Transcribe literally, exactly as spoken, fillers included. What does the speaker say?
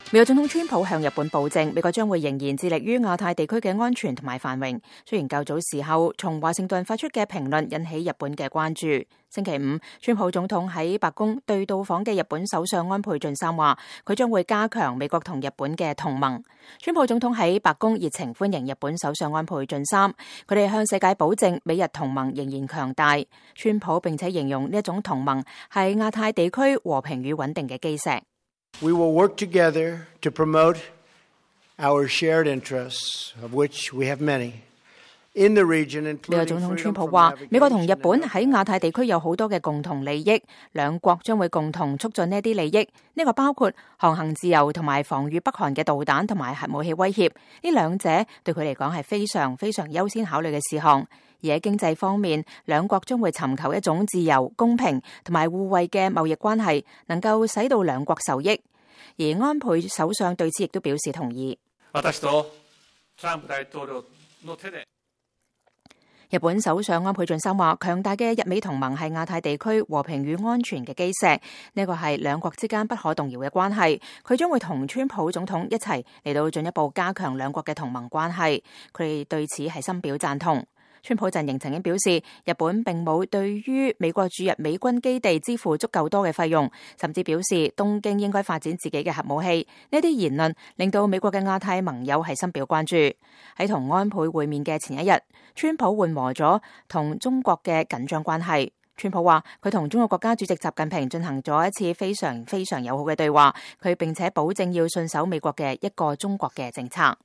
美國總統川普向日本保證，美國將會仍然致力於亞太地區嘅安全同埋繁榮。雖然較早時候從華盛頓發出嘅評論引起日本嘅關注。星期五，川普總統喺白宮對到訪嘅日本首相安倍晉三話，佢將會加強美國同日本嘅同盟。川普總統喺白宮熱情歡迎日本首相安倍晉三，佢哋向世界保證美日同盟仍然強大。川普並且形容呢一種同盟係亞太地區和平與穩定嘅基石。We will work together to promote our shared interests, of which we have many, in the region, including 美國總統川普話，美國同日本喺亞太地區有好多嘅共同利益，兩國將會共同促進呢啲利益。呢個包括航行自由同埋防禦北韓嘅導彈同埋核武器威脅。呢兩者對佢嚟講係非常非常優先考慮嘅事項。而喺經濟方面，兩國將會尋求一種自由、公平同埋互惠嘅貿易關係，能夠使到兩國受益。而安倍首相對此亦都表示同意。日本首相安倍晉三話，強大嘅日美同盟係亞太地區和平與安全嘅基石，呢個係兩國之間不可動搖嘅關係。佢將會同川普總統一齊嚟到進一步加強兩國嘅同盟關係，佢哋對此係深表贊同。川普陣營曾經表示，日本並冇對於美國駐日美軍基地支付足夠多嘅費用，甚至表示東京應該發展自己嘅核武器。呢啲言論令到美國嘅亞太盟友係深表關注。喺同安倍會面嘅前一日，川普緩和咗同中國嘅緊張關係。川普話佢同中國國家主席習近平進行咗一次非常非常友好嘅對話，佢並且保證要信守美國嘅一個中國嘅政策。